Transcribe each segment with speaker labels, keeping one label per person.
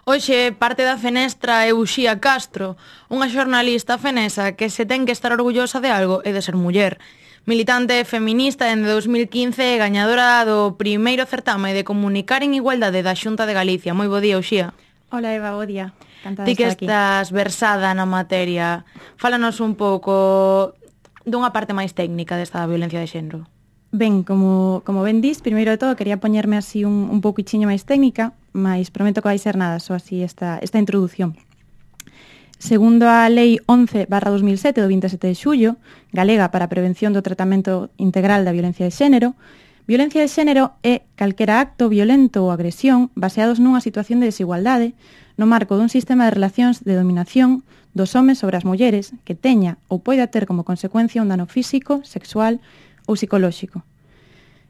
Speaker 1: Hoxe parte da fenestra é Uxía Castro, unha xornalista fenesa que se ten que estar orgullosa de algo e de ser muller. Militante feminista dende 2015 e gañadora do primeiro certame de comunicar en igualdade da Xunta de Galicia. Moi bo día, Uxía.
Speaker 2: Hola Eva, bo día. Encantada
Speaker 1: Ti
Speaker 2: de
Speaker 1: que
Speaker 2: estar aquí.
Speaker 1: estás versada na materia, fálanos un pouco dunha parte máis técnica desta violencia de xénero.
Speaker 2: Ben, como ben dis, primeiro de todo quería poñerme así un pouquichiño máis técnica, mas prometo que vai ser nada, só así esta introdución. Segundo a Lei 11/2007 do 27 de xullo, galega para a prevención do tratamento integral da violencia de xénero é calquera acto violento ou agresión baseados nunha situación de desigualdade no marco dun sistema de relacións de dominación dos homes sobre as mulleres que teña ou poida ter como consecuencia un dano físico, sexual ou psicolóxico,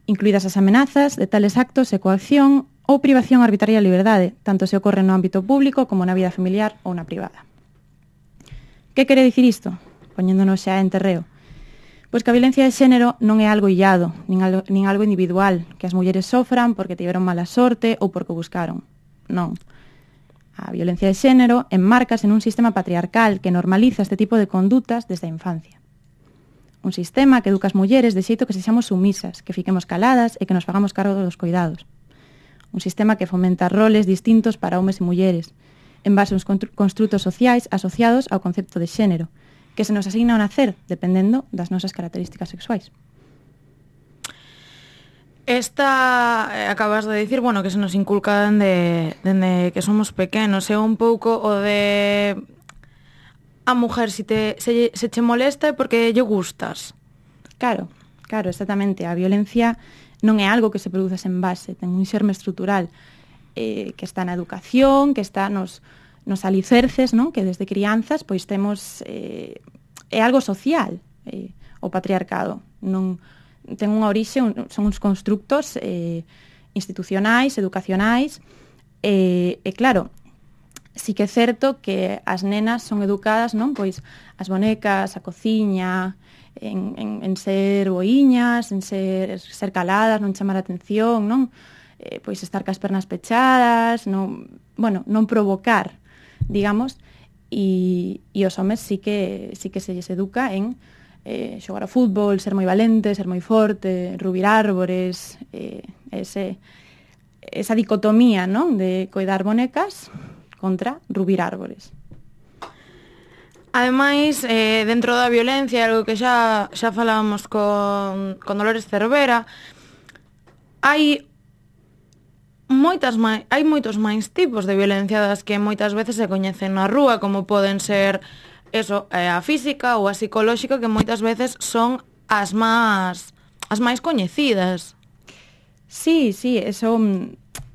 Speaker 2: incluídas as amenazas de tales actos e coacción ou privación arbitraria de liberdade, tanto se ocorre no ámbito público como na vida familiar ou na privada. Que quere dicir isto? Poñéndonos xa en terreo. Pois que a violencia de xénero non é algo illado, nin algo individual, que as mulleres sofran porque tiveron mala sorte ou porque o buscaron. Non. A violencia de xénero enmárcase nun sistema patriarcal que normaliza este tipo de condutas desde a infancia. Un sistema que educa as mulleres de xeito que sexamos sumisas, que fiquemos caladas e que nos fagamos cargo dos cuidados. Un sistema que fomenta roles distintos para homes e mulleres, en base a uns construtos sociais asociados ao concepto de xénero, que se nos asigna ao nacer, dependendo das nosas características sexuais.
Speaker 1: Acabas de dicir, bueno, que se nos inculcan dende que somos pequenos, é un pouco o de a mujer se che molesta é porque lle gustas.
Speaker 2: Claro, exactamente. A violencia non é algo que se produza sen base, ten un xerme estrutural que está na educación, que está nos alicerces, non? Que desde crianzas pois temos é algo social, o patriarcado. Non ten unha orixe, son uns constructos institucionais, educacionais, e claro, sí que é certo que as nenas son educadas, non? Pois as bonecas, a cociña, en ser boiñas, en ser caladas, non chamar a atención, non? Pois estar cas pernas pechadas, non provocar, digamos, e os homes sí que se lles educa en xogar ao fútbol, ser moi valente, ser moi forte, rubir árbores, esa dicotomía, non? De coidar bonecas contra rubir árbores.
Speaker 1: Ademais, dentro da violencia, algo que xa falábamos con Dolores Cervera, hai moitos máis tipos de violencia das que moitas veces se coñecen na rúa, como poden ser a física ou a psicolóxica, que moitas veces son as máis coñecidas.
Speaker 2: Sí, eso,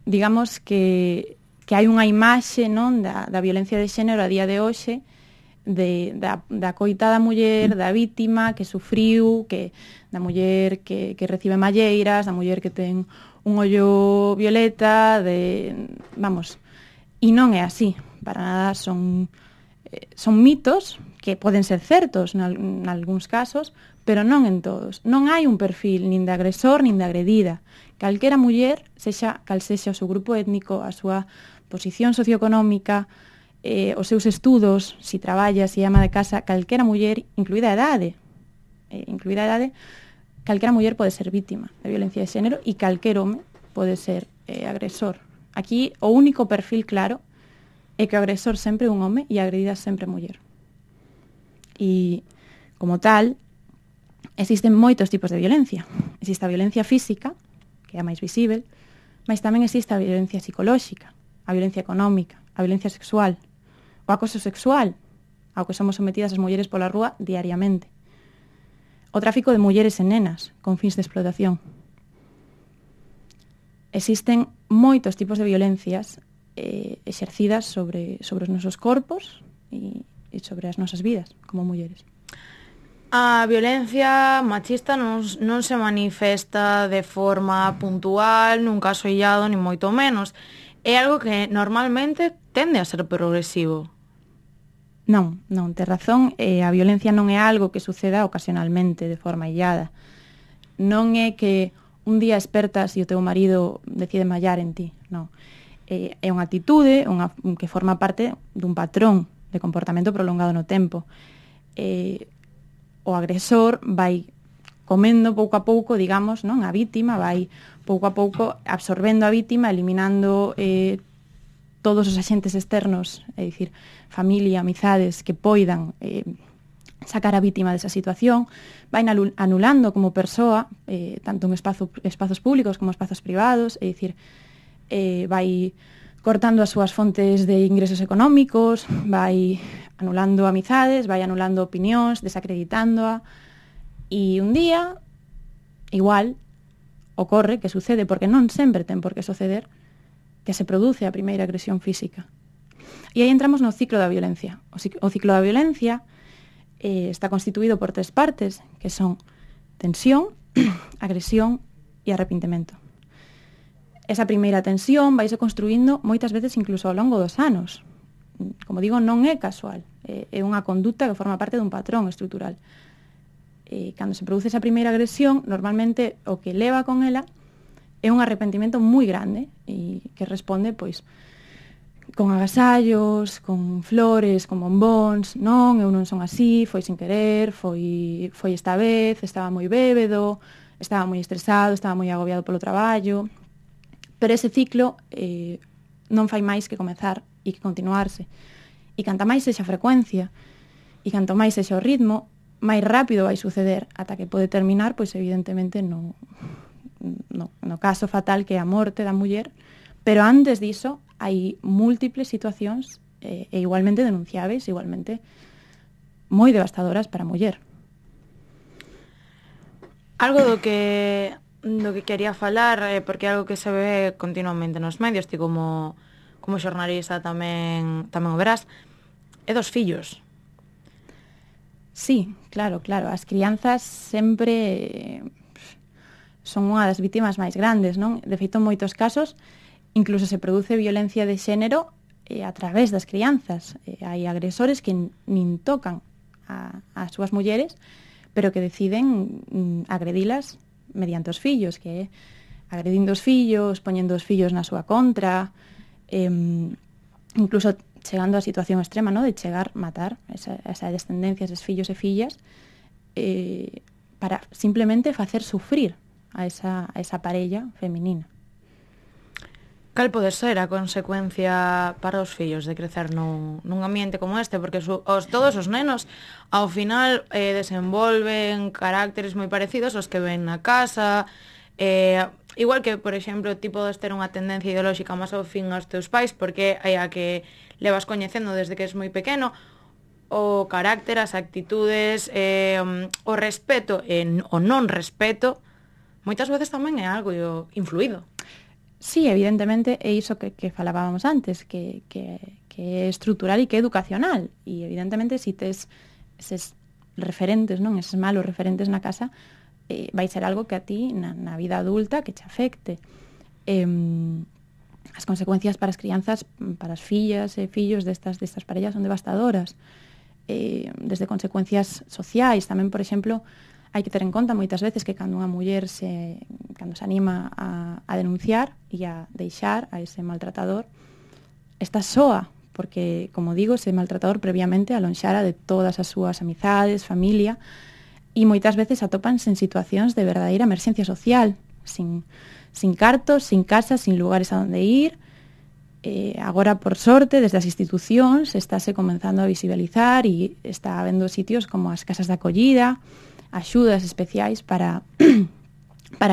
Speaker 2: digamos que hai unha imaxe, non, da violencia de xénero a día de hoxe, da coitada muller, da vítima que sufriu, da muller que recibe malleiras, da muller que ten un ollo violeta, e non é así, para nada. Son mitos que poden ser certos nalgúns casos, pero non en todos. Non hai un perfil nin de agresor nin de agredida. Calquera muller, cal sexa o seu grupo étnico, a súa posición socioeconómica, os seus estudos, si traballa, si ama de casa, calquera muller, incluída a idade, calquera muller pode ser vítima de violencia de xénero e calquer home pode ser agresor. Aquí o único perfil claro é que o agresor sempre é un home e a agredida sempre é muller. E, como tal, existen moitos tipos de violencia. Existe a violencia física, que é a máis visível, mas tamén existe a violencia psicolóxica, a violencia económica, a violencia sexual, o acoso sexual, ao que somos sometidas as mulleres pola rúa diariamente. O tráfico de mulleres e nenas con fins de explotación. Existen moitos tipos de violencias exercidas sobre os nosos corpos e sobre as nosas vidas como mulleres.
Speaker 1: A violencia machista non se manifesta de forma puntual, nun caso illado, ni moito menos. É algo que normalmente tende a ser progresivo.
Speaker 2: Non, tes razón, a violencia non é algo que suceda ocasionalmente, de forma illada. Non é que un día espertas e o teu marido decide mallar en ti, non. É unha actitude que forma parte dun patrón de comportamento prolongado no tempo. O agresor vai comendo pouco a pouco, digamos, non, a vítima, vai pouco a pouco absorbendo a vítima, eliminando todos os axentes externos, é dicir, familia, amizades que poidan sacar a vítima desa situación, vai anulando como persoa, tanto en espazos públicos como espazos privados, é dicir, vai cortando as súas fontes de ingresos económicos, vai anulando amizades, vai anulando opinións, desacreditándoa, e un día, igual, ocorre que sucede, porque non sempre ten por que suceder, que se produce a primeira agresión física. E aí entramos no ciclo da violencia. O ciclo da violencia está constituído por 3 partes, que son tensión, agresión e arrepentimento. Esa primeira tensión vaise construindo moitas veces incluso ao longo dos anos. Como digo, non é casual, é unha conduta que forma parte dun patrón estrutural. Cando se produce esa primeira agresión, normalmente o que leva con ela é un arrepentimento moi grande e que responde, pois, con agasallos, con flores, con bombóns, non, eu non son así, foi sin querer, foi esta vez, estaba moi bébedo, estaba moi estresado, estaba moi agobiado polo traballo, pero ese ciclo non fai máis que comezar e que continuarse. E canta máis sexa a frecuencia, e canto máis sexa o ritmo, máis rápido vai suceder, ata que pode terminar, pois evidentemente no caso fatal que é a morte da muller, pero antes diso hai múltiples situacións e igualmente denunciáveis, igualmente moi devastadoras para a muller.
Speaker 1: Algo do que quería falar, porque é algo que se ve continuamente nos medios, ti como xornalista tamén o verás, é dos fillos.
Speaker 2: Sí, claro, as crianzas sempre son unha das vítimas máis grandes, non? De feito, en moitos casos, incluso se produce violencia de xénero a través das crianzas. Hai agresores que nin tocan as súas mulleres, pero que deciden agredilas mediante os fillos, que é agredindo os fillos, poñendo os fillos na súa contra, incluso chegando á situación extrema, ¿no?, de chegar a matar esa descendencia, esos fillos e fillas, para simplemente facer sufrir a esa parella feminina.
Speaker 1: Cal pode ser a consecuencia para os fillos de crecer nun ambiente como este? Porque todos os nenos, ao final, desenvolven carácteres moi parecidos aos que ven na casa. Igual que, por exemplo, ti podes ter unha tendencia ideolóxica máis ao fin aos teus pais, porque é a que levas coñecendo desde que és moi pequeno, o carácter, as actitudes, o respeto e o non respeto, moitas veces tamén é algo influído.
Speaker 2: Sí, evidentemente, é iso que falábamos antes, que é estrutural e que é educacional. E, evidentemente, se tes eses referentes, non, eses malos referentes na casa, vai ser algo que a ti, na vida adulta, que te afecte. As consecuencias para as crianzas, para as fillas e fillos destas parellas son devastadoras. Desde consecuencias sociais, tamén, por exemplo, hai que ter en conta moitas veces que cando unha muller cando se anima a denunciar e a deixar a ese maltratador, está soa, porque, como digo, ese maltratador previamente alonxara de todas as súas amizades, familia, e moitas veces atópanse en situacións de verdadeira emerxencia social, sin cartos, sin casas, sin lugares a donde ir. Agora, por sorte, desde as institucións estáse comenzando a visibilizar e está habendo sitios como as casas de acollida, axudas especiais para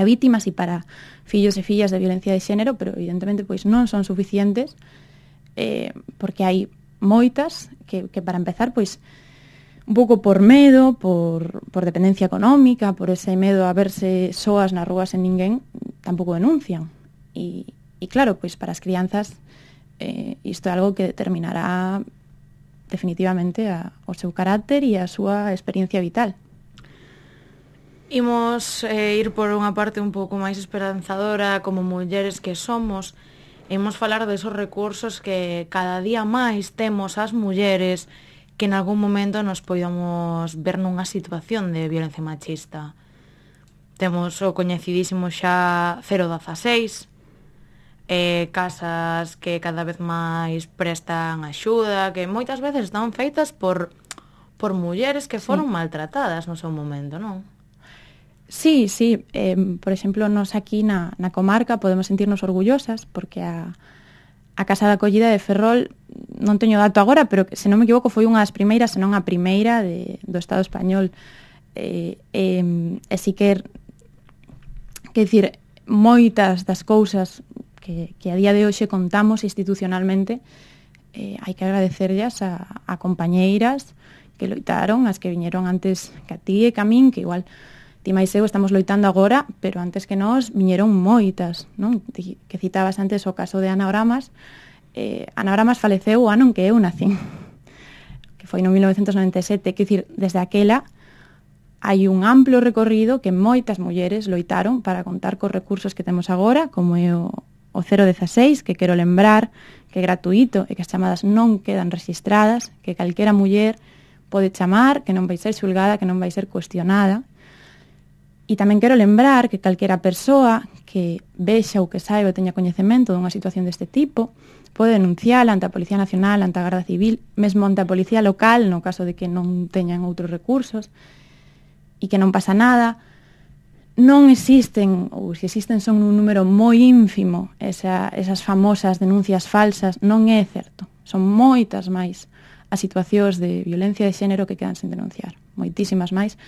Speaker 2: vítimas e para fillos e fillas de violencia de xénero, pero evidentemente pois non son suficientes, porque hai moitas que para empezar, pois un pouco por medo, por dependencia económica, por ese medo a verse soas nas rúas en ninguén, tampouco denuncian. E claro, pois para as crianzas isto é algo que determinará definitivamente o seu carácter e a súa experiencia vital.
Speaker 1: Imos ir por unha parte un pouco máis esperanzadora como mulleres que somos. Imos falar desos recursos que cada día máis temos as mulleres que en algún momento nos podamos ver nunha situación de violencia machista. Temos o coñecidísimo xa 016, casas que cada vez máis prestan axuda, que moitas veces están feitas por mulleres que foron maltratadas no seu momento, non?
Speaker 2: Sí. Por exemplo, nos aquí na comarca podemos sentirnos orgullosas porque a Casa de Acollida de Ferrol, non teño dato agora, pero se non me equivoco foi unha das primeiras, senón a primeira do Estado español. E si quer dicir, moitas das cousas que a día de hoxe contamos institucionalmente, hai que agradecerllas a compañeiras que loitaron, as que viñeron antes que a ti e que a min, que igual ti máis eu estamos loitando agora, pero antes que nós viñeron moitas, non? Que citabas antes o caso de Anagramas. Anagramas faleceu o ano en que eu nacín, que foi no 1997, que dicir, desde aquela hai un amplo recorrido que moitas mulleres loitaron para contar cos recursos que temos agora, como é o 016, que quero lembrar que é gratuito e que as chamadas non quedan registradas, que calquera muller pode chamar, que non vai ser xulgada, que non vai ser cuestionada. E tamén quero lembrar que calquera persoa que vexa ou que saiba ou teña coñecemento dunha situación deste tipo pode denunciala ante a Policía Nacional, ante a Garda Civil, mesmo ante a Policía Local, no caso de que non teñan outros recursos, e que non pasa nada. Non existen, ou se existen son un número moi ínfimo, esas famosas denuncias falsas, non é certo. Son moitas máis as situacións de violencia de xénero que quedan sen denunciar, moitísimas máis,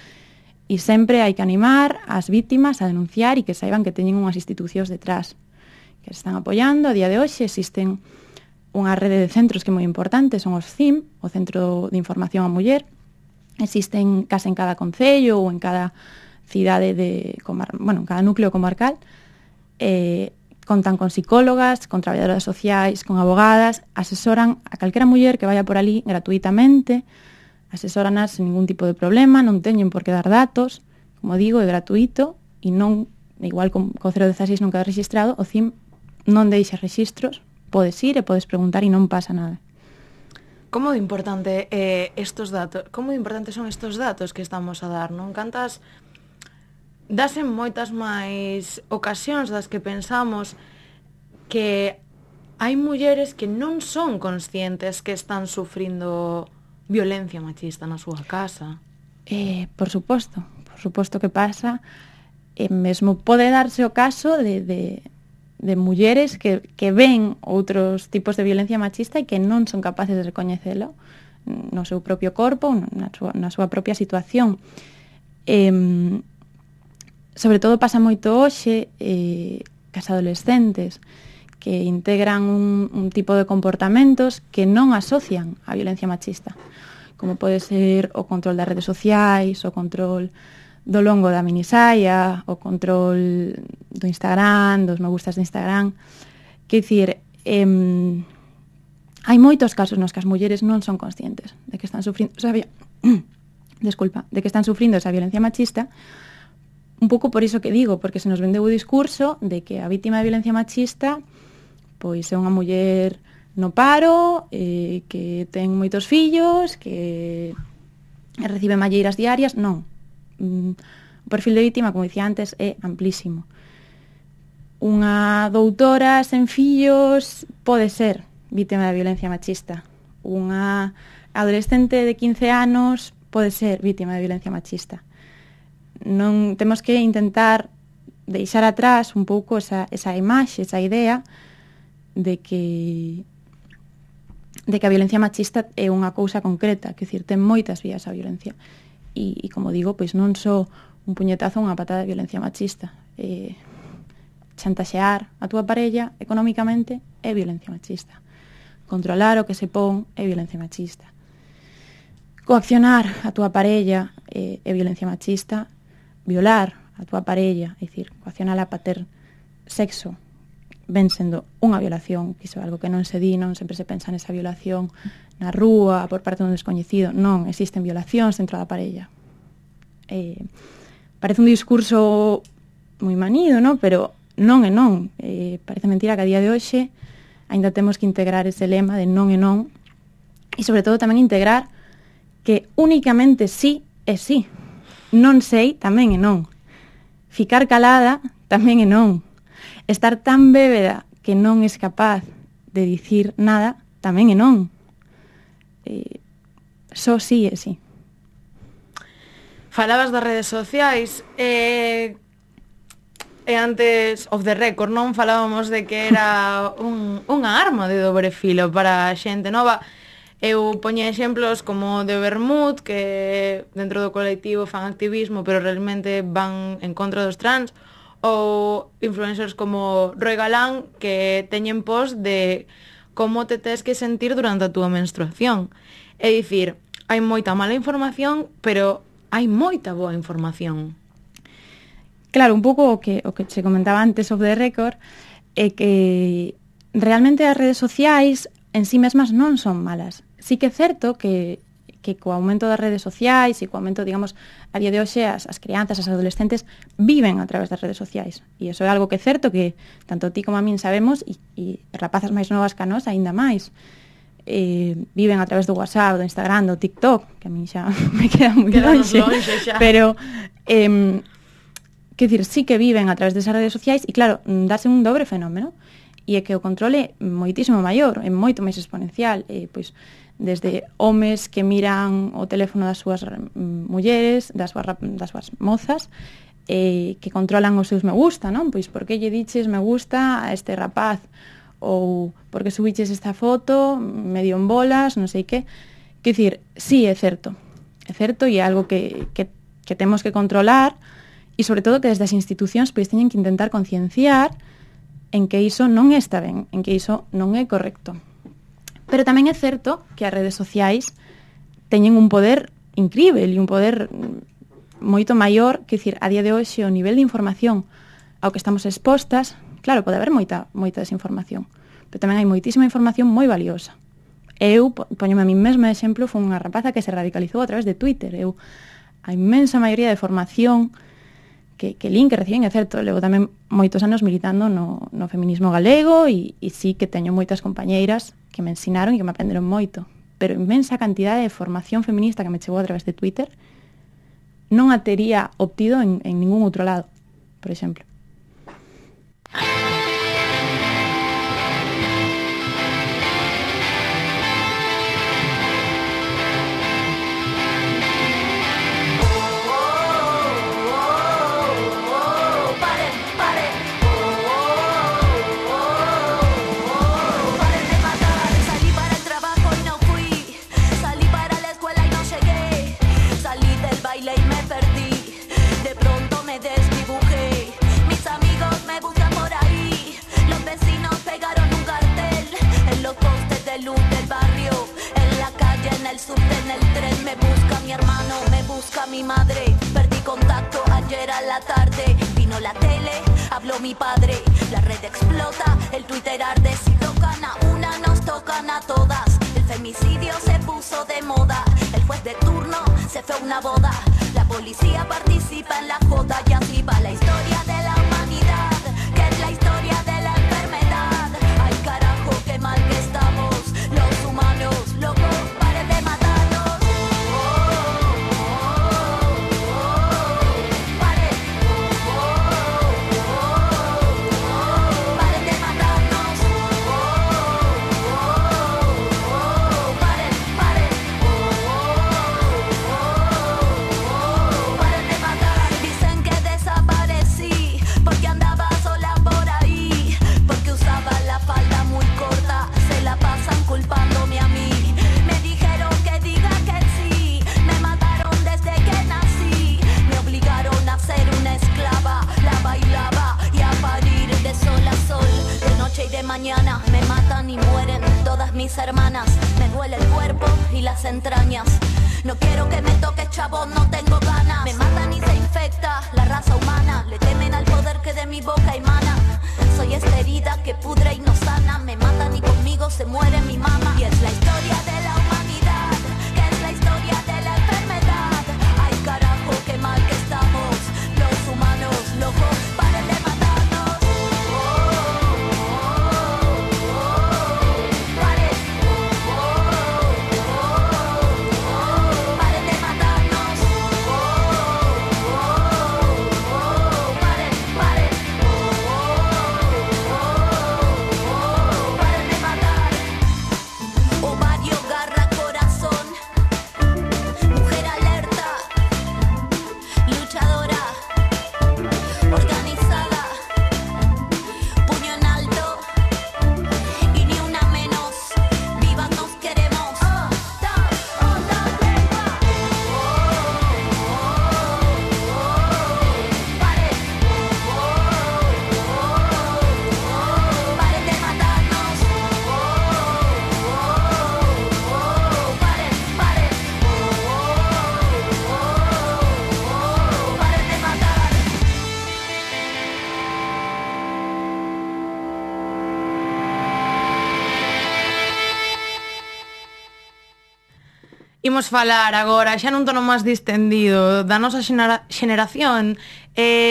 Speaker 2: e sempre hai que animar as vítimas a denunciar e que saiban que teñen unhas institucións detrás que se están apoiando. A día de hoxe existen unha rede de centros que é moi importante, son os CIM, o Centro de Información á Muller. Existen case en cada concello ou en cada cidade en cada núcleo comarcal. Contan con psicólogas, con traballadoras sociais, con abogadas, asesoran a calquera muller que vaya por ali gratuitamente, asesoranas sen ningún tipo de problema, non teñen por que dar datos, como digo, é gratuito, e non, igual co 016 non queda registrado, o CIM non deixa rexistros, podes ir e podes preguntar e non pasa nada.
Speaker 1: Como de importante estos datos, como de importantes son estes datos que estamos a dar, non? Cantas dase moitas máis ocasións das que pensamos que hai mulleres que non son conscientes que están sufrindo violencia machista na súa casa.
Speaker 2: Por suposto que pasa, mesmo pode darse o caso de mulleres que ven outros tipos de violencia machista e que non son capaces de recoñecelo no seu propio corpo, na súa propia situación. Sobre todo pasa moito hoxe cas adolescentes que integran un tipo de comportamentos que non asocian a violencia machista, como pode ser o control das redes sociais, o control do longo da minisaia, o control do Instagram, dos me gustas de Instagram. Quer dicir, hai moitos casos nos que as mulleres non son conscientes de que están sufrindo de que están sufrindo esa violencia machista, un pouco por iso que digo, porque se nos vendeu o discurso de que a vítima de violencia machista pois é unha muller no paro, que ten moitos fillos, que recibe malleiras diarias. Non. O perfil de vítima, como dicía antes, é amplísimo. Unha doutora sen fillos pode ser vítima de violencia machista. Unha adolescente de 15 anos pode ser vítima de violencia machista. Non temos que intentar deixar atrás un pouco esa imaxe, esa idea de que a violencia machista é unha cousa concreta, que dicir, ten moitas vías a violencia. E como digo, pois non só un puñetazo ou unha patada de violencia machista. Chantaxear a túa parella económicamente é violencia machista. Controlar o que se pon é violencia machista. Coaccionar a túa parella é violencia machista. Violar a túa parella, é dicir, coaccionala para ter sexo, ven sendo unha violación, que iso é algo que non se di, non sempre se pensa nesa violación na rúa, por parte dun descoñecido. Non, existen violacións dentro da parella. Parece un discurso moi manido, non? Pero non é non. Parece mentira que a día de hoxe aínda temos que integrar ese lema de non é non, e sobre todo tamén integrar que únicamente sí é sí. Non sei tamén é non. Ficar calada tamén é non. Estar tan bébeda que non es capaz de dicir nada, tamén é non. Só sí e sí.
Speaker 1: Falabas das redes sociais e antes, off the record, non falábamos de que era unha arma de dobre filo para a xente nova. Eu poñía exemplos como de Bermud, que dentro do colectivo fan activismo, pero realmente van en contra dos trans, ou influencers como Roy Galán, que teñen post de como te tes que sentir durante a túa menstruación. É dicir, hai moita mala información, pero hai moita boa información.
Speaker 2: Claro, un pouco o que se comentaba antes off the record é que realmente as redes sociais en sí mesmas non son malas. Sí que é certo que co aumento das redes sociais e co aumento, digamos, a día de hoxe as crianzas, as adolescentes viven a través das redes sociais. E iso é algo que é certo que tanto ti como a min sabemos e rapazas máis novas que a nós aínda máis. Viven a través do WhatsApp, do Instagram, do TikTok, que a min xa me queda moi longe, pero quer dicir, sí que viven a través desas redes sociais e claro, darse un dobre fenómeno e é que o controle é moitísimo maior, é moito máis exponencial, pois desde homes que miran o teléfono das súas mulleres, das súas mozas, que controlan os seus me gusta, non? Pois por que lle diches me gusta a este rapaz, ou por que subiches esta foto medio en bolas, non sei que. Quer dicir, sí, é certo e é algo que temos que controlar e sobre todo que desde as institucións pois teñen que intentar concienciar en que iso non está ben, en que iso non é correcto. Pero tamén é certo que as redes sociais teñen un poder incrível e un poder moito maior, que dicir, a día de hoxe o nivel de información ao que estamos expostas, claro, pode haber moita desinformación, pero tamén hai moitísima información moi valiosa. Eu, poñome a mí mesma de exemplo, foi unha rapaza que se radicalizou a través de Twitter. A inmensa maioría de formación que lin, que reciben, é certo, levo tamén moitos anos militando no feminismo galego e sí que teño moitas compañeiras que me ensinaron e que me aprenderon moito, pero inmensa cantidade de formación feminista que me chegou a través de Twitter non a tería obtido en ningún outro lado, por exemplo.
Speaker 3: Mi madre, perdí contacto ayer a la tarde. Vino la tele, habló mi padre. La red explota, el Twitter arde. Si tocan a una, nos tocan a todas. El femicidio se puso de moda. El juez de turno se fue a una boda. La policía participa en la joda. Y así va la historia de la humanidad, que es la historia de la enfermedad. Ay carajo, qué mal que estamos los humanos, locos, paren de matarnos. Mañana me matan y mueren todas mis hermanas. Me duele el cuerpo y las entrañas. No quiero que me toques, chavo, no tengo ganas. Me matan y se infecta la raza humana. Le temen al poder que de mi boca emana. Soy esta herida que pudre y no sana. Me matan y conmigo se muere mi mamá. Y es la historia de la humanidad, que es la historia de la enfermedad. Ay carajo, qué mal que estamos los humanos, locos, paren de matarnos.
Speaker 1: Imos falar agora, xa nun tono máis distendido, da nosa xeneración,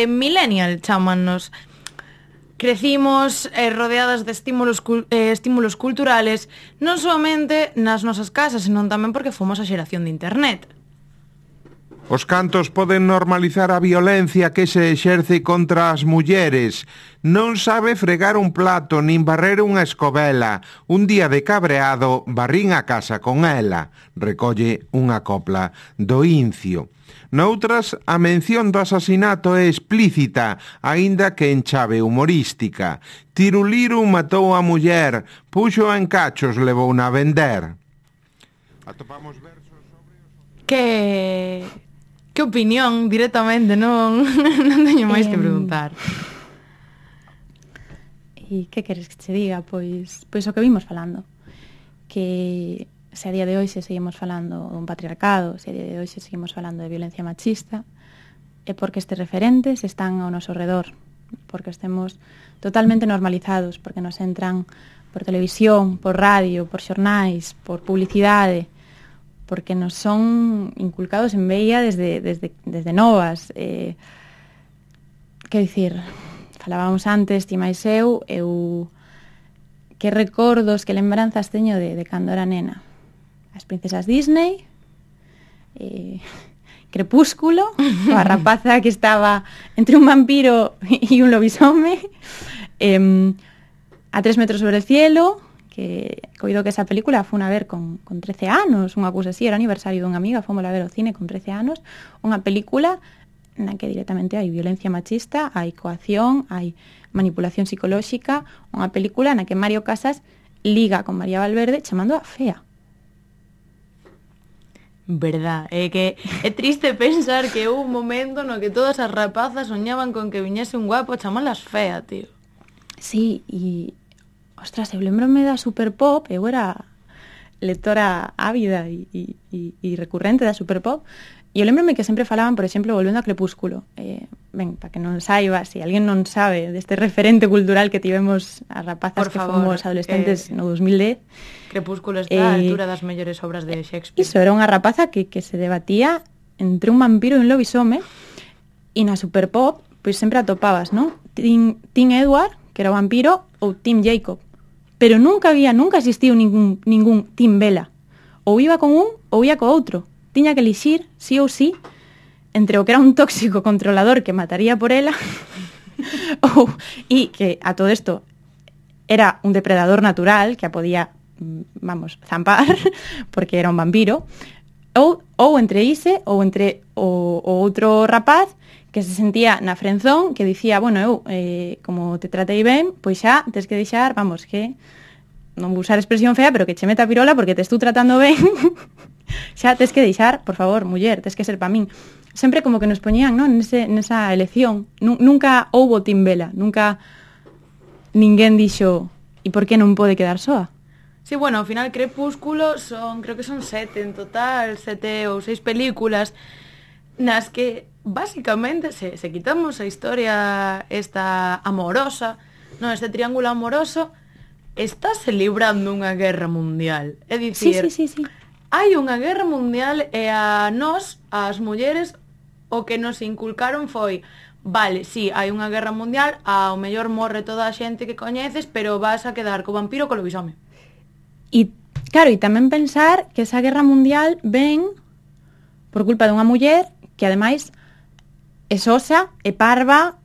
Speaker 1: millennial chámannos. Crecimos rodeadas de estímulos culturales, non somente nas nosas casas, senón tamén porque fomos a xeración de internet.
Speaker 4: Os cantos poden normalizar a violencia que se exerce contra as mulleres. Non sabe fregar un plato nin barrer unha escobela. Un día de cabreado, barrín a casa con ela. Recolle unha copla do Incio. Noutras, a mención do asasinato é explícita, aínda que en chave humorística. Tiruliru matou a muller, puxo en cachos, levouna a vender. Atopamos versos sobre...
Speaker 1: Que opinión, directamente, non teño máis que preguntar.
Speaker 2: E que queres que che diga? Pois o que vimos falando. Que se a día de hoxe seguimos falando dun patriarcado, se a día de hoxe seguimos falando de violencia machista, é porque estes referentes están ao noso redor, porque estemos totalmente normalizados, porque nos entran por televisión, por radio, por xornais, por publicidade, porque nos son inculcados en veia desde novas. Quer dicir, falábamos antes, ti máis eu que recordos, que lembranzas teño de cando era nena. As princesas Disney, Crepúsculo, a rapaza que estaba entre un vampiro e un lobisome, A 3 metros sobre el cielo, que coido que esa película fue a ver con 13 anos, unha cousa así, era aniversario dunha amiga, fomos a ver ao cine con 13 anos, unha película na que directamente hai violencia machista, hai coacción, hai manipulación psicolóxica, unha película na que Mario Casas liga con María Valverde chamando a fea.
Speaker 1: Verdad, é que é triste pensar que houve un momento no que todas as rapazas soñaban con que viñese un guapo a chamalas fea, tío.
Speaker 2: Sí, e ostras, eu lembrome da Superpop, eu era lectora ávida e recurrente da Superpop, e eu lembrome que sempre falaban, por exemplo, volvendo a Crepúsculo. Ben, para que non saiba, se alguén non sabe deste referente cultural que tivemos as rapazas que fomos adolescentes no 2010.
Speaker 1: Crepúsculo está a altura das mellores obras de Shakespeare.
Speaker 2: Iso, era unha rapaza que se debatía entre un vampiro e un lobisome, e na Superpop, pois sempre atopabas, non? Tim Edward, que era o vampiro, ou Tim Jacob. Pero nunca existiu ningún Tim Bella. Ou iba con un ou ia co outro. Tiña que elixir, sí ou sí, entre o que era un tóxico controlador que mataría por ela e que a todo isto era un depredador natural que a podía, zampar porque era un vampiro, ou entre ise ou entre o outro rapaz que se sentía na frenzón, que dicía, bueno, eu, como te tratei ben, pois xa, tes que deixar, que non vou usar expresión fea, pero que che meta a pirola porque te estou tratando ben, xa tes que deixar, por favor, muller, tes que ser pa min. Sempre como que nos poñían, non, nesa elección. Nunca houbo Tim Bella, nunca ninguén dixo, e por que non pode quedar soa?
Speaker 1: Sí, bueno, ao final Crepúsculo creo que son 7 en total, 7 ou 6 películas, nas que básicamente se quitamos a historia esta amorosa, non, este triángulo amoroso, estáse librando unha guerra mundial. É dicir,
Speaker 2: sí.
Speaker 1: hai unha guerra mundial e a nós, as mulleres, o que nos inculcaron foi, vale, sí, hai unha guerra mundial, ao mellor morre toda a xente que coñeces, pero vas a quedar co vampiro co lobisome.
Speaker 2: E, claro, e tamén pensar que esa guerra mundial ven por culpa dunha muller que, ademais, é sosa, é parva,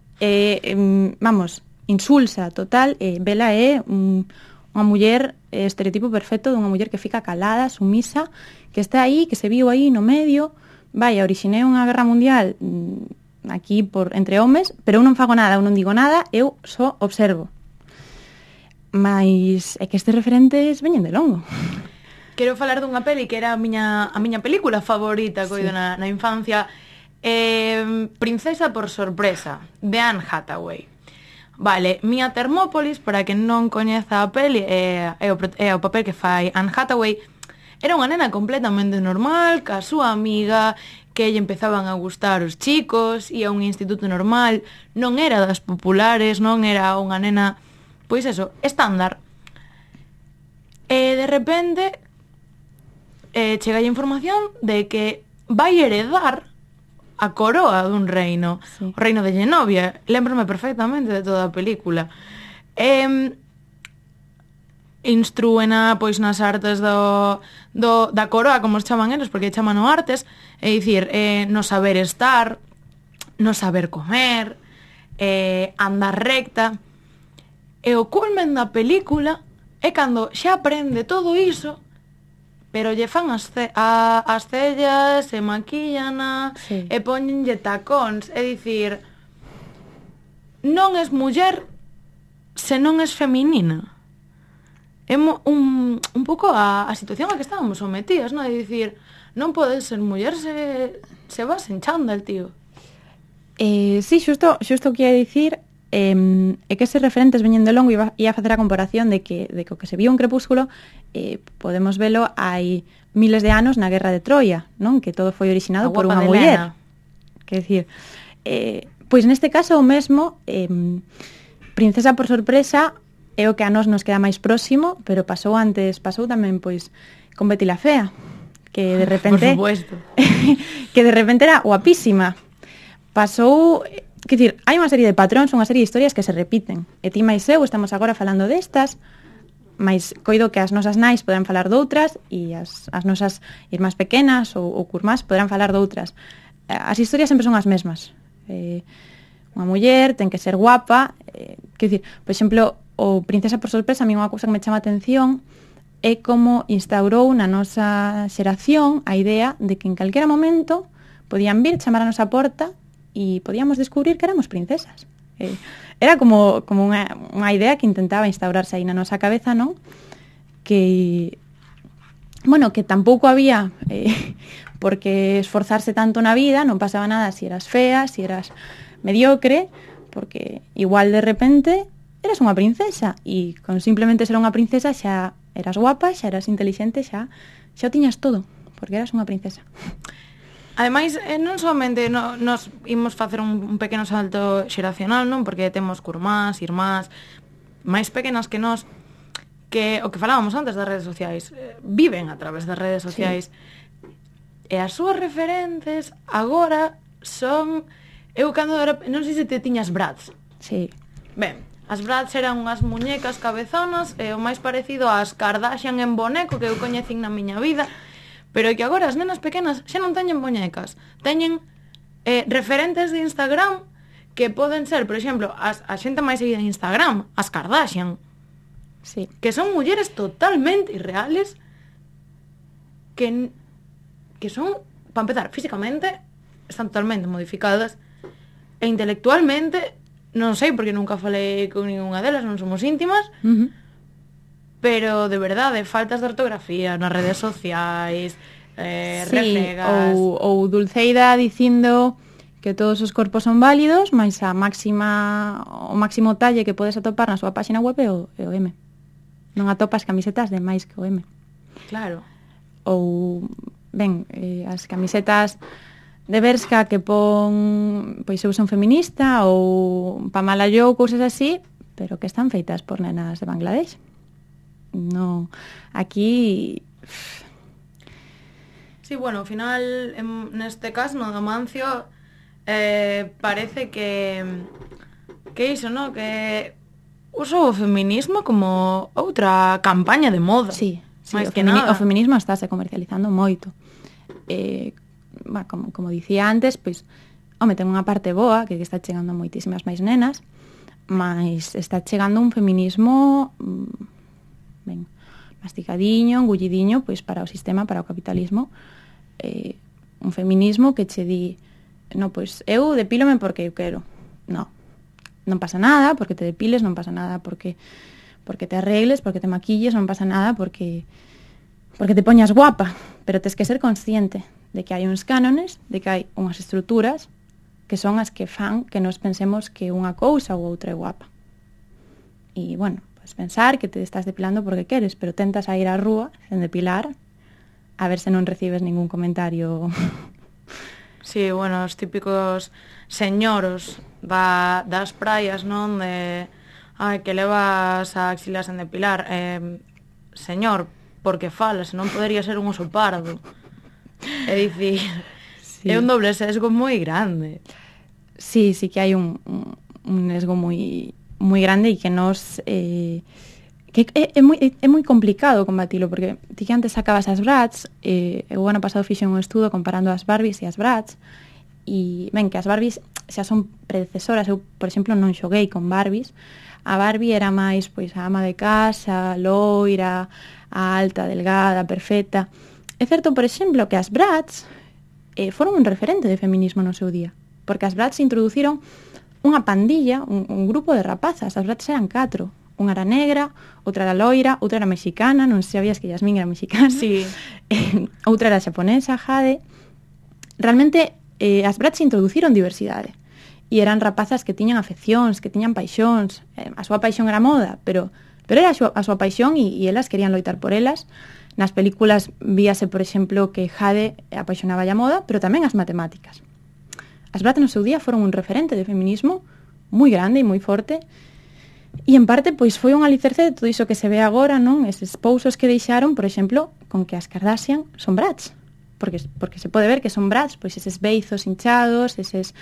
Speaker 2: insulsa, total. Bella é unha muller, estereotipo perfecto dunha muller que fica calada, sumisa, que está aí, que se viu aí no medio. Vai, orixinei unha guerra mundial aquí entre homes, pero eu non fago nada, eu non digo nada, eu só observo. Mas é que estes referentes veñen de longo.
Speaker 1: Quero falar dunha peli que era a miña película favorita, coido, na infancia, Princesa por sorpresa, de Anne Hathaway. Vale, Mia Thermopolis, para quen non coñeza a peli, é o papel que fai Anne Hathaway. Era unha nena completamente normal, ca súa amiga, que lle empezaban a gustar os chicos, ia a un instituto normal, non era das populares, non era unha nena, pois eso, estándar. E de repente chega a información de que vai heredar a coroa dun reino,
Speaker 2: Sí.
Speaker 1: o reino de Genovia. Lembrome perfectamente de toda a película. Instrúena pois nas artes da coroa, como os chaman eles, porque chaman o artes, é dicir, no saber estar, no saber comer, andar recta. E o culmen da película é cando xa aprende todo iso, pero lle fan as cellas, se maquillana,
Speaker 2: Sí.
Speaker 1: e poñenlle tacóns. É dicir, non es muller se non es feminina. É un pouco a situación a que estábamos sometidas, non? É dicir, non podes ser muller se vas en chándal, tío.
Speaker 2: Sí, xusto o que ia dicir é que eses referentes veñen de longo e ia facer a comparación de que o que se viu en Crepúsculo podemos velo hai miles de anos na Guerra de Troia, non? Que todo foi originado
Speaker 1: A
Speaker 2: por
Speaker 1: guapa
Speaker 2: unha
Speaker 1: de
Speaker 2: muller.
Speaker 1: Helena.
Speaker 2: Quer dicir, pois neste caso o mesmo, Princesa por sorpresa é o que a nós nos queda máis próximo, pero pasou tamén pois con Betty la Fea, que de repente
Speaker 1: Por supuesto.
Speaker 2: que de repente era guapísima. Pasou, quer dicir, hai unha serie de patróns, unha serie de historias que se repiten. E ti máis eu estamos agora falando destas, mais coido que as nosas nais poderán falar doutras e as nosas irmás pequenas ou curmás poderán falar doutras. As historias sempre son as mesmas. Unha muller ten que ser guapa, quer dicir, por exemplo, o Princesa por sorpresa, a mí unha cousa que me chama a atención é como instaurou na nosa xeración a idea de que en calquera momento podían vir chamar a nosa porta e podíamos descubrir que éramos princesas. Era como unha idea que intentaba instaurarse aí na nosa cabeza, non? Que, bueno, que tampouco había por que esforzarse tanto na vida, non pasaba nada si eras fea, si eras mediocre, porque igual de repente eras unha princesa e con simplemente ser unha princesa xa eras guapa, xa eras intelixente, xa o tiñas todo, porque eras unha princesa.
Speaker 1: Ademais, non somente nos imos facer un pequeno salto xeracional, non? Porque temos curmás, irmás, máis pequenas que nós, que o que falábamos antes das redes sociais, viven a través das redes sociais. Sí. E as súas referentes agora son... Eu cando era... Non sei se te tiñas Bratz.
Speaker 2: Sí.
Speaker 1: Ben, as Bratz eran unhas muñecas cabezonas, o máis parecido ás Kardashian en boneco que eu coñecín na miña vida, pero que agora as nenas pequenas xa non teñen muñecas, teñen referentes de Instagram que poden ser, por exemplo, a xente máis seguida en Instagram, as Kardashian,
Speaker 2: Sí.
Speaker 1: que son mulleres totalmente irreales que son, para empezar, físicamente están totalmente modificadas e intelectualmente non sei porque nunca falei con ninguna delas, non somos íntimas, pero de verdade, faltas de ortografía nas redes sociais, reflegas...
Speaker 2: ou Dulceida dicindo que todos os corpos son válidos, mais o máximo talle que podes atopar na súa páxina web é o M. Non atopas camisetas de máis que o M.
Speaker 1: Claro.
Speaker 2: Ou, ben, as camisetas de Bershka que pon, pois eu son feminista, ou Pamela Joe, cousas así, pero que están feitas por nenas de Bangladesh. No, aquí...
Speaker 1: Sí, bueno, ao final, neste caso, no do Mancio, parece que iso, no? Que uso o feminismo como outra campaña de moda.
Speaker 2: Sí,
Speaker 1: máis que nada.
Speaker 2: o feminismo estáse comercializando moito. Como dicía antes, pois, ten unha parte boa, que está chegando moitísimas máis nenas, mas está chegando un feminismo masticadiño, engullidiño, pois para o sistema, para o capitalismo, un feminismo que che di, no, pois eu depílome porque eu quero. Non pasa nada porque te depiles, non pasa nada porque te arregles, porque te maquilles, non pasa nada porque te poñas guapa, pero tes que ser consciente de que hai uns cánones, de que hai unhas estruturas que son as que fan que nos pensemos que unha cousa ou outra é guapa. E, bueno, podes pensar que te estás depilando porque queres, pero tentas a ir á rúa sen depilar a ver se non recibes ningún comentario.
Speaker 1: Sí, bueno, os típicos señoros das praias, non? Que levas a axilas en depilar. Señor, porque fala, senón podería ser un oso pardo. É dicir, sí. É un doble sesgo moi grande.
Speaker 2: Sí, sí que hai un sesgo moi grande e que nos... que é moi complicado combatilo, porque ti que antes sacabas as Bratz, o ano pasado fixen un estudo comparando as Barbies e as Bratz, e ben, que as Barbies xa son predecesoras. Eu, por exemplo, non xoguei con Barbies. A Barbie era máis pois a ama de casa, loira, a alta, delgada, perfecta. É certo, por exemplo, que as Bratz foron un referente de feminismo no seu día, porque as Bratz introduciron unha pandilla, un grupo de rapazas. As Bratz eran 4. Unha era negra, outra era loira, outra era mexicana, non sei se sabías que Yasmín era mexicana.
Speaker 1: Sí.
Speaker 2: Outra era xaponesa, Jade. Realmente, as Bratz introduciron diversidade. E eran rapazas que tiñan afeccións, que tiñan paixóns. A súa paixón era moda, pero era a súa paixón e elas querían loitar por elas. Nas películas víase, por exemplo, que Jade apaixonaba a moda, pero tamén as matemáticas. As Bratz no seu día foron un referente de feminismo moi grande e moi forte, e en parte pois foi un alicerce de todo iso que se ve agora, non? Eses pousos que deixaron, por exemplo, con que as Kardashian son Bratz. Porque se pode ver que son Bratz, pois eses beizos hinchados, eses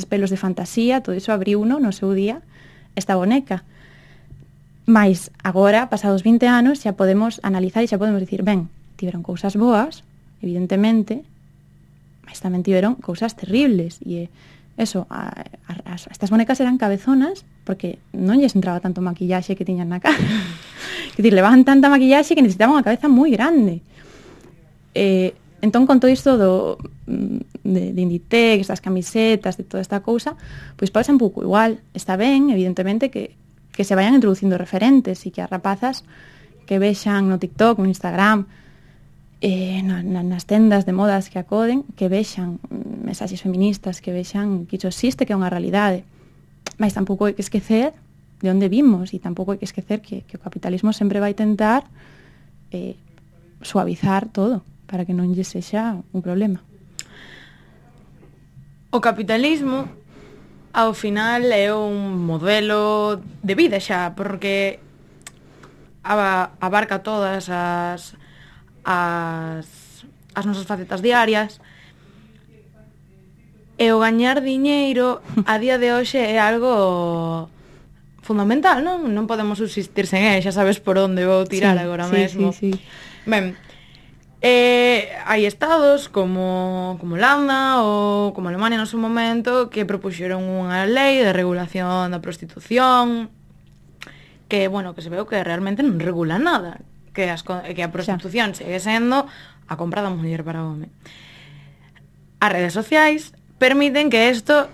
Speaker 2: pelos de fantasía, todo iso abriu uno no seu día esta boneca. Mais agora, pasados 20 anos, xa podemos analizar e xa podemos dicir, ben, tiveron cousas boas, evidentemente, mas tamén tiveron cousas terribles. E eso, estas bonecas eran cabezonas porque non lles entraba tanto maquillaxe que tiñan na cara. Que dicir, levaban tanta maquillaxe que necesitaban unha cabeza moi grande. Entón, con todo isto de Inditex, das camisetas, de toda esta cousa, pois pasa un pouco igual. Está ben, evidentemente, que se vayan introducindo referentes e que as rapazas que vexan no TikTok, no Instagram, nas tendas de modas que acoden, que vexan mensaxes feministas, que vexan que iso existe, que é unha realidade. Mas tampouco hai que esquecer de onde vimos e tampouco hai que esquecer que o capitalismo sempre vai tentar suavizar todo, para que non lle sexa un problema.
Speaker 1: O capitalismo, ao final, é un modelo de vida xa, porque abarca todas as nosas facetas diarias, e o gañar diñeiro a día de hoxe é algo fundamental, non? Non podemos subsistir sen ele, xa sabes por onde vou tirar agora mesmo.
Speaker 2: Sí.
Speaker 1: Ben, hai estados como Holanda ou como Alemania no seu momento que propuxeron unha lei de regulación da prostitución que, bueno, que se veu que realmente non regula nada, que a prostitución segue sendo a compra da muller para o home. As redes sociais permiten que isto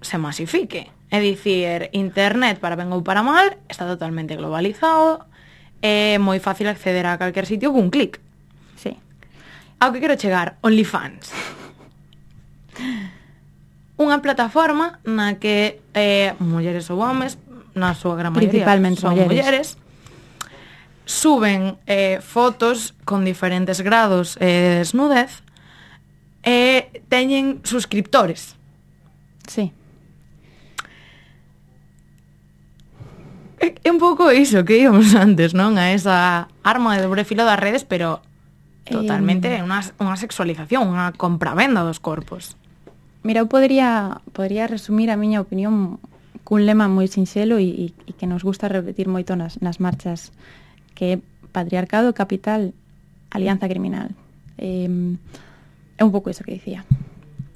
Speaker 1: se masifique, é dicir, internet, para ben ou para mal, está totalmente globalizado, é moi fácil acceder a calquer sitio cun clic.
Speaker 2: Sí.
Speaker 1: Ao que quero chegar, OnlyFans. Unha plataforma na que mulleres ou homes, na súa gran maioría son mulleres, suben fotos con diferentes grados de desnudez e teñen suscriptores.
Speaker 2: Sí.
Speaker 1: É un pouco iso que íbamos antes, non? A esa arma de dobre filo das redes, pero totalmente unha sexualización, unha compravenda dos corpos.
Speaker 2: Mira, eu podría resumir a miña opinión cun lema moi sinxelo e que nos gusta repetir moito nas marchas, que é patriarcado, capital, alianza criminal. É un pouco iso que dicía.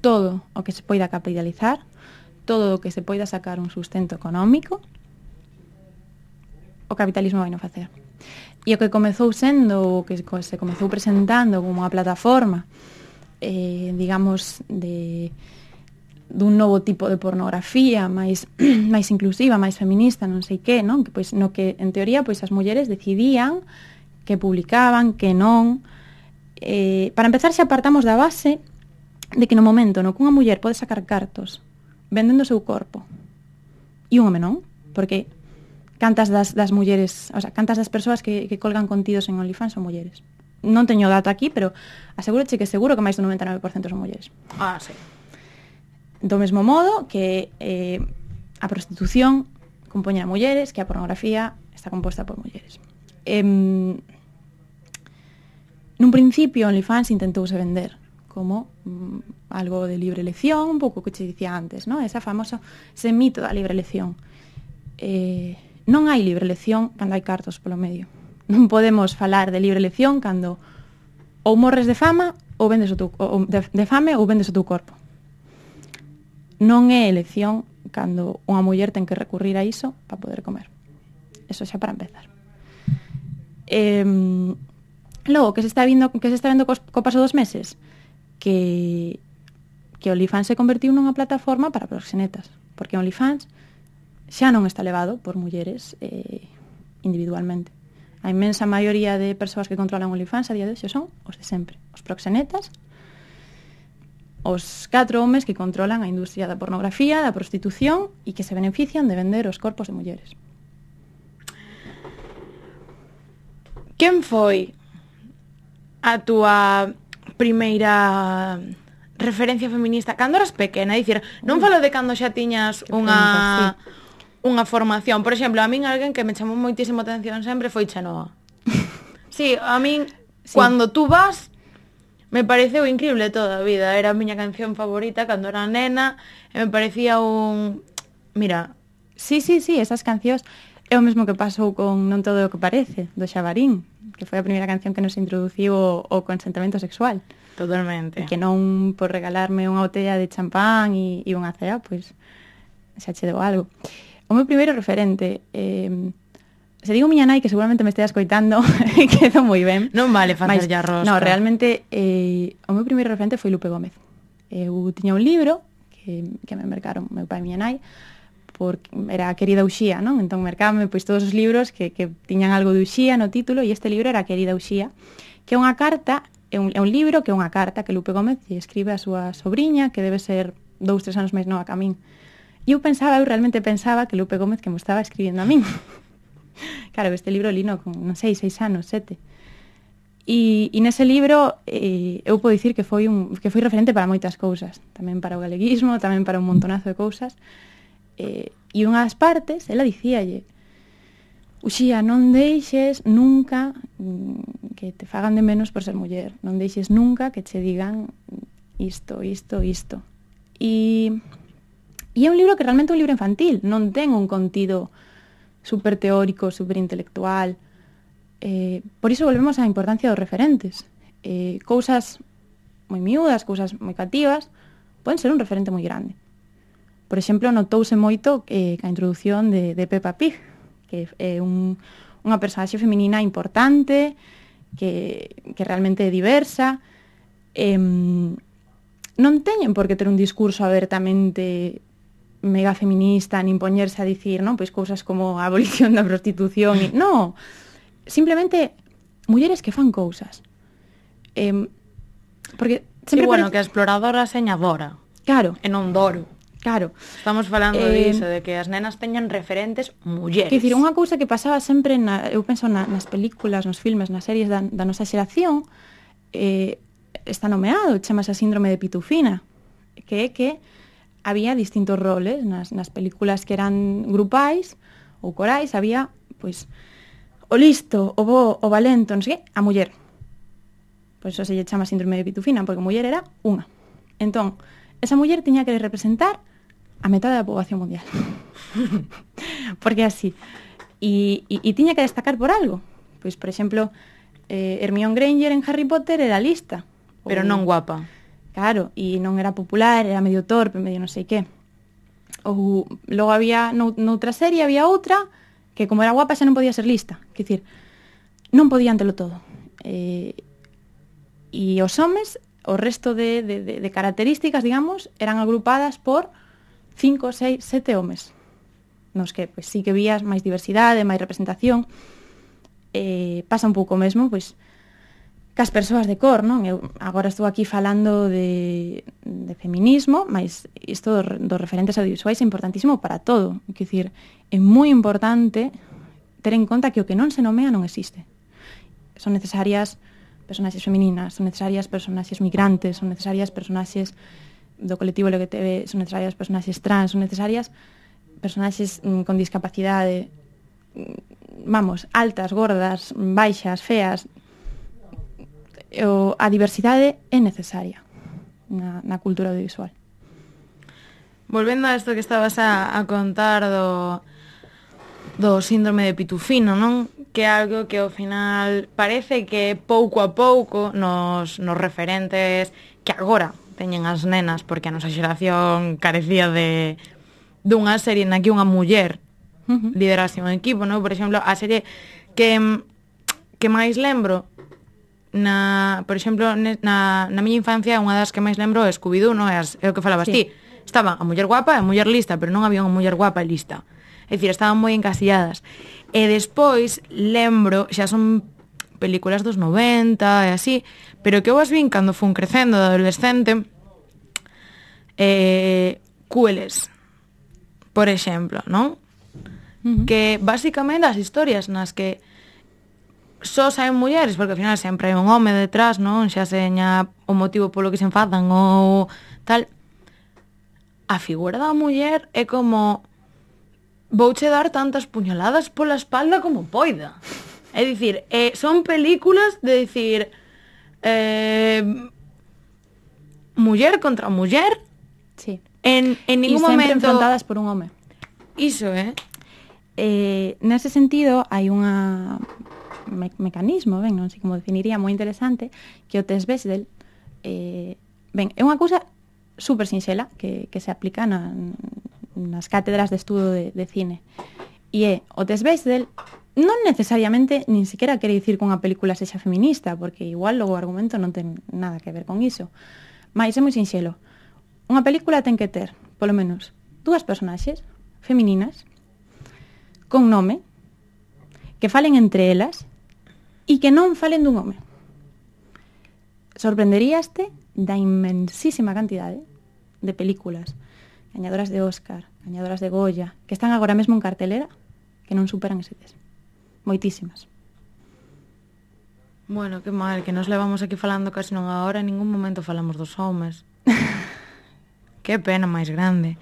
Speaker 2: Todo o que se poida capitalizar, todo o que se poida sacar un sustento económico, o capitalismo vai non facer. E o que comezou sendo, o que se comezou presentando como unha plataforma, digamos, dun novo tipo de pornografía máis inclusiva, máis feminista, non sei que, non? Que, pois, no que, en teoría, pois as mulleres decidían que publicaban, que non. Para empezar, xa apartamos da base de que no momento no que unha muller pode sacar cartos vendendo o seu corpo e un home non, porque cantas das mulleres, o sea, cantas das persoas que colgan contidos en OnlyFans son mulleres. Non teño dato aquí, pero asegúroche que seguro que máis do 99% son mulleres.
Speaker 1: Ah, sí.
Speaker 2: Do mesmo modo que a prostitución compoña a mulleres, que a pornografía está composta por mulleres. Nun principio, OnlyFans intentouse vender como algo de libre elección, un pouco que che dicía antes, ¿no? Ese mito da libre elección. Non hai libre elección cando hai cartos polo medio. Non podemos falar de libre elección cando ou morres de fama ou vendes de fame ou vendes o teu corpo. Non é elección cando unha muller ten que recurrir a iso para poder comer. Eso xa para empezar. Logo, que se está vendo co paso dos meses, que OnlyFans se convertiu nunha plataforma para proxenetas, porque OnlyFans xa non está levado por mulleres individualmente. A inmensa maioría de persoas que controlan OnlyFans a día de hoxe son os de sempre, os proxenetas, os 4 homes que controlan a industria da pornografía, da prostitución e que se benefician de vender os corpos de mulleres.
Speaker 1: Quen foi a túa primeira referencia feminista cando eras pequena? Dicir, non falo de cando xa tiñas unha formación. Por exemplo, a min alguén que me chamou moitísimo atención sempre foi Chenoa. Sí, a min, sí. Cando tú vas, me pareceu increíble toda a vida. Era a miña canción favorita cando era nena e me parecía un... Mira...
Speaker 2: Sí, esas cancións é o mesmo que pasou con Non todo o que parece, do Xabarín, que foi a primeira canción que nos introduciu o consentimento sexual.
Speaker 1: Totalmente.
Speaker 2: E que non por regalarme unha botella de champán e unha cea, pois xa che deu algo. O meu primeiro referente, se digo miña nai, que seguramente me estea escoitando, quedo moi ben.
Speaker 1: Non vale facer ya rosca.
Speaker 2: No, realmente, o meu primeiro referente foi Lupe Gómez. Eu tiña un libro que me mercaron meu pai e miña nai, porque era a Querida Uxía, non? Entón mercábame pois todos os libros que tiñan algo de Uxía no título, e este libro era Querida Uxía, que é unha carta, é un libro que é unha carta que Lupe Gómez escribe a súa sobriña, que debe ser 2-3 anos máis nova que a min. E eu realmente pensaba que Lupe Gómez que me estaba escribindo a min. Claro, este libro lino con, non sei, 6 anos, 7. E nese libro eu podo dicir que foi referente para moitas cousas, tamén para o galeguismo, tamén para un montonazo de cousas. E unhas partes, ela dicíalle: Uxía, non deixes nunca que te fagan de menos por ser muller, non deixes nunca que che digan isto. E é un libro que realmente é un libro infantil, non ten un contido super teórico, super intelectual. Por iso volvemos á importancia dos referentes. Cousas moi miúdas, cousas moi cativas, poden ser un referente moi grande. Por exemplo, notouse moito a introdución de Peppa Pig, que é unha personaxe feminina importante, que realmente é diversa. Non teñen por que ter un discurso abertamente mega feminista, nin poñerse a dicir, non, pois cousas como a abolición da prostitución. Non, simplemente mulleres que fan cousas. Porque sempre
Speaker 1: bueno, que a exploradora señadora.
Speaker 2: Claro.
Speaker 1: E non doro.
Speaker 2: Claro.
Speaker 1: Estamos falando diso, de que as nenas teñan referentes mulleres.
Speaker 2: Quer dicir, unha cousa que pasaba sempre, eu penso nas películas, nos filmes, nas series da nosa xeración, está nomeado, chamase a síndrome de Pitufina, que é que había distintos roles nas películas que eran grupais ou corais, había, pois, o listo, o bo, o valento, non sei que, a muller. Pois eso se lle chama síndrome de Pitufina, porque a muller era unha. Entón, esa muller tiña que representar a metade da poboación mundial. Porque así. E tiña que destacar por algo. Pois, por exemplo, Hermione Granger en Harry Potter era lista.
Speaker 1: Pero non guapa.
Speaker 2: Claro, e non era popular, era medio torpe, medio non sei que. Ou logo había, noutra serie había outra que como era guapa xa non podía ser lista. Quer dicir, non podían telo todo. E os homes, o resto de características, digamos, eran agrupadas por 5, 6, 7 homes. Nos que, pois, sí que vías máis diversidade, máis representación. Pasa un pouco mesmo, pois, cas persoas de cor, non? Eu agora estou aquí falando de feminismo, mas isto dos referentes audiovisuais é importantísimo para todo. Quer dicir, é moi importante ter en conta que o que non se nomea non existe. Son necesarias personaxes femininas, son necesarias personaxes migrantes, son necesarias personaxes do colectivo LGTB, son necesarias personaxes trans, son necesarias personaxes con discapacidade, vamos, altas, gordas, baixas, feas. A diversidade é necesaria na cultura audiovisual.
Speaker 1: Volvendo a isto que estabas a contar do síndrome de Pitufino, non? Que é algo que ao final parece que pouco a pouco nos referentes que agora teñen as nenas, porque a nosa xeración carecía dunha serie na que unha muller liderase un equipo, non? Por exemplo, a serie que máis lembro por exemplo, na miña infancia unha das que máis lembro é Scooby-Doo, non? É o que falabas ti. Estaban a muller guapa e a muller lista, pero non había unha muller guapa e lista. É dicir, estaban moi encasilladas. E despois lembro, xa son películas dos 90 e así, pero que eu as vin cando fun crecendo de adolescente, Cueles, por exemplo, non? Que basicamente as historias nas que só saen mulleres, porque ao final sempre hai un home detrás, non? Xa seña o motivo polo que se enfadan ou tal. A figura da muller é como vouche dar tantas puñaladas pola espalda como poida. É dicir, son películas de dicir muller contra muller.
Speaker 2: Sí.
Speaker 1: En ningún momento...
Speaker 2: E sempre enfrontadas por un home.
Speaker 1: Iso,
Speaker 2: nese sentido, hai unha mecanismo, non sei como definiría, moi interesante, que o test Bechdel, é unha cousa super sinxela que se aplica nas cátedras de estudo de cine. E o test Bechdel non necesariamente nin siquiera quere dicir que unha película sexa feminista, porque igual logo o argumento non ten nada que ver con iso. Mais é moi sinxelo. Unha película ten que ter, polo menos, 2 personaxes femininas con nome, que falen entre elas e que non falen dun home. Sorprenderíaste da inmensísima cantidade de películas gañadoras de Óscar, gañadoras de Goya, que están agora mesmo en cartelera, que non superan ese test. Moitísimas.
Speaker 1: Bueno, que mal, que nos levamos aquí falando casi non a hora, en ningún momento falamos dos homes. Que pena máis grande.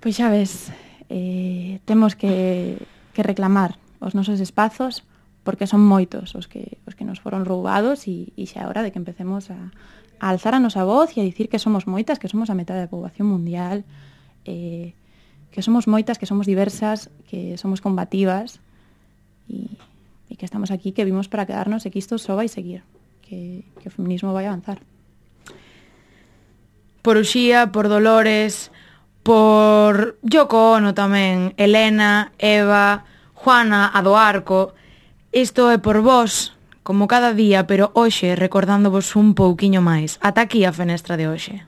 Speaker 2: Pois xa ves, temos que reclamar os nosos espazos, porque son moitos os que nos foron roubados e xa é hora de que empecemos a alzar a nosa voz e a dicir que somos moitas, que somos a metade da poboación mundial, que somos moitas, que somos diversas, que somos combativas e que estamos aquí, que vimos para quedarnos e que isto só vai seguir, que o feminismo vai avanzar.
Speaker 1: Por Uxía, por Dolores, por Yoko Ono tamén, Elena, Eva, Juana, a do Arco. Isto é por vos, como cada día, pero hoxe recordándovos un pouquiño máis. Ata aquí a fenestra de hoxe.